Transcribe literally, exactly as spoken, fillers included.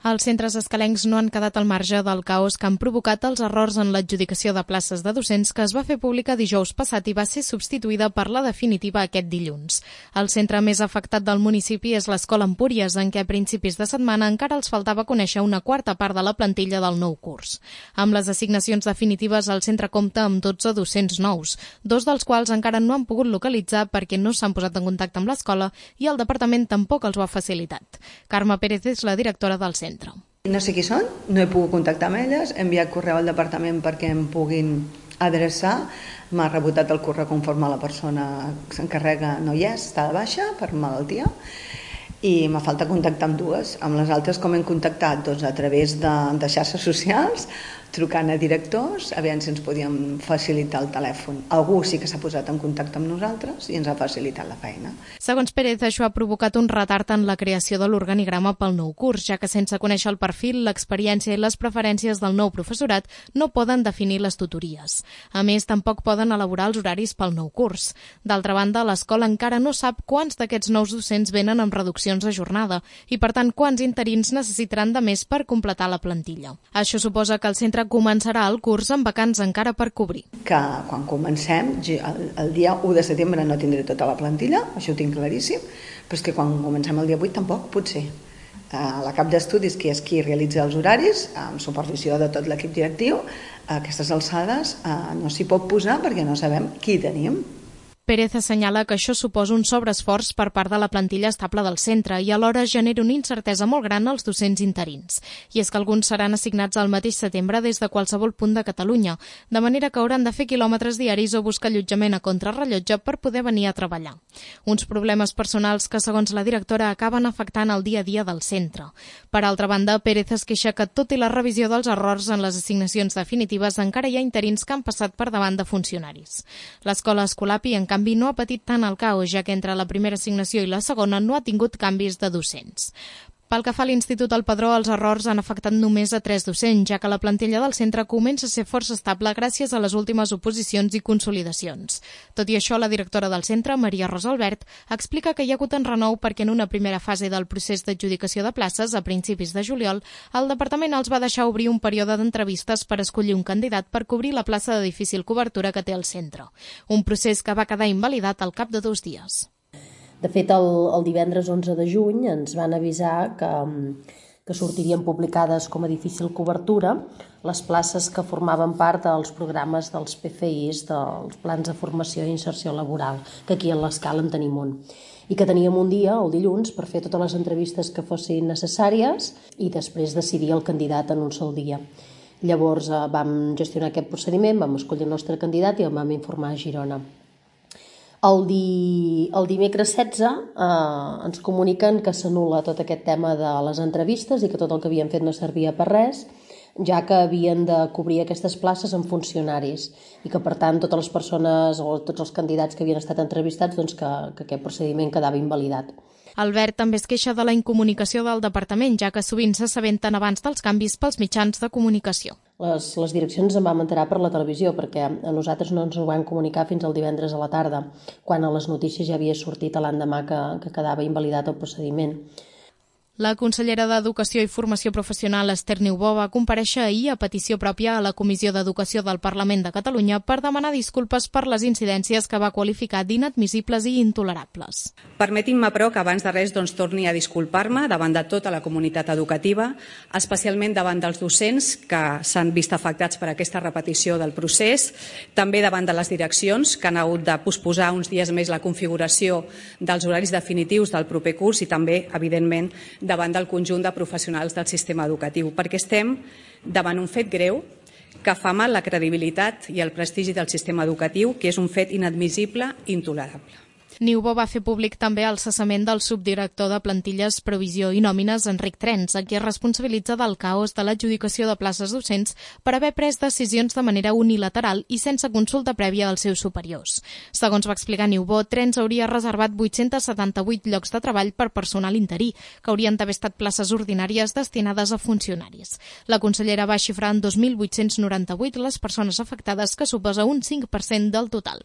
Els centres escalencs no han quedat al marge del caos que han provocat els errors en l'adjudicació de places de docents que es va fer pública dijous passat i va ser substituïda per la definitiva aquest dilluns. El centre més afectat del municipi és l'Escola Empúries, en què a principis de setmana encara els faltava conèixer una quarta part de la plantilla del nou curs. Amb les assignacions definitives, el centre compta amb dotze docents nous, dos dels quals encara no han pogut localitzar perquè no s'han posat en contacte amb l'escola i el departament tampoc els ho ha facilitat. Carme Pérez és la directora del centre. No sé qui són, no he pogut contactar amb elles, he enviat correu al departament perquè em puguin adreçar, m'ha rebotat el correu conforme la persona que s'encarrega no hi és, està de baixa per malaltia, i m'ha falta contactar amb dues. Amb les altres com hem contactat? Doncs a través de, de xarxes socials, trucant a directors, a veure si ens podíem facilitar el telèfon. Algú sí que s'ha posat en contacte amb nosaltres i ens ha facilitat la feina. Segons Pérez, això ha provocat un retard en la creació de l'organigrama pel nou curs, ja que sense conèixer el perfil, l'experiència i les preferències del nou professorat no poden definir les tutories. A més, tampoc poden elaborar els horaris pel nou curs. D'altra banda, l'escola encara no sap quants d'aquests nous docents venen amb reduccions de jornada i, per tant, quants interins necessitaran de més per completar la plantilla. Això suposa que el centre començarà el curs amb vacants encara per cobrir. Que quan comencem, el, el dia u de setembre no tindré tota la plantilla, això ho tinc claríssim, però és que quan comencem el dia vuit tampoc, potser. La cap d'estudis, que és qui realitza els horaris, amb supervisió de tot l'equip directiu, a aquestes alçades no s'hi pot posar perquè no sabem qui tenim. Pérez assenyala que això suposa un sobreesforç per part de la plantilla estable del centre i alhora genera una incertesa molt gran als docents interins. I és que alguns seran assignats al mateix setembre des de qualsevol punt de Catalunya, de manera que hauran de fer quilòmetres diaris o buscar allotjament a contrarrellotge per poder venir a treballar. Uns problemes personals que, segons la directora, acaben afectant el dia a dia del centre. Per altra banda, Pérez es queixa que, tot i la revisió dels errors en les assignacions definitives, encara hi ha interins que han passat per davant de funcionaris. L'escola Escolapi, en canvi, no ha patit tant el caos, ja que entre la primera assignació i la segona no ha tingut canvis de docents. Pel que fa a l'Institut El Padró, els errors han afectat només a tres docents, ja que la plantilla del centre comença a ser força estable gràcies a les últimes oposicions i consolidacions. Tot i això, la directora del centre, Maria Rosa Albert, explica que hi ha hagut en renou perquè en una primera fase del procés d'adjudicació de places, a principis de juliol, el departament els va deixar obrir un període d'entrevistes per escollir un candidat per cobrir la plaça de difícil cobertura que té el centre. Un procés que va quedar invalidat al cap de dos dies. De fet, el, el divendres onze de juny ens van avisar que, que sortirien publicades com a difícil cobertura les places que formaven part dels programes dels P F Is, dels plans de formació i inserció laboral, que aquí a l'Escala en tenim un. I que teníem un dia, el dilluns, per fer totes les entrevistes que fossin necessàries i després decidir el candidat en un sol dia. Llavors eh, vam gestionar aquest procediment, vam escollir el nostre candidat i el vam informar a Girona. El, di, el dimecres setze eh, ens comuniquen que s'anul·la tot aquest tema de les entrevistes i que tot el que havien fet no servia per res, ja que havien de cobrir aquestes places amb funcionaris i que, per tant, totes les persones o tots els candidats que havien estat entrevistats, doncs que, que aquest procediment quedava invalidat. Albert també es queixa de la incomunicació del departament, ja que sovint s'assabenten abans dels canvis pels mitjans de comunicació. Les, les direccions en vam enterar per la televisió, perquè a nosaltres no ens ho van comunicar fins al divendres a la tarda, quan a les notícies ja havia sortit a l'endemà que, que quedava invalidat el procediment. La consellera d'Educació i Formació Professional, Esther Niubó, va comparèixer ahir a petició pròpia a la Comissió d'Educació del Parlament de Catalunya per demanar disculpes per les incidències que va qualificar d'inadmissibles i intolerables. Permetin-me, però, que abans de res doncs, torni a disculpar-me davant de tota la comunitat educativa, especialment davant dels docents que s'han vist afectats per aquesta repetició del procés, també davant de les direccions que han hagut de posposar uns dies més la configuració dels horaris definitius del proper curs i també, evidentment, davant del conjunt de professionals del sistema educatiu, perquè estem davant un fet greu que fa mal la credibilitat i el prestigi del sistema educatiu, que és un fet inadmissible i intolerable. Niubó va fer públic també el cessament del subdirector de plantilles, previsió i nòmines, Enric Trens, a qui es responsabilitza del caos de l'adjudicació de places docents per haver pres decisions de manera unilateral i sense consulta prèvia als seus superiors. Segons va explicar Niubó, Trens hauria reservat vuit-cents setanta-vuit llocs de treball per personal interí, que haurien d'haver estat places ordinàries destinades a funcionaris. La consellera va xifrar en dos mil vuit-cents noranta-vuit les persones afectades, que suposa un cinc per cent del total.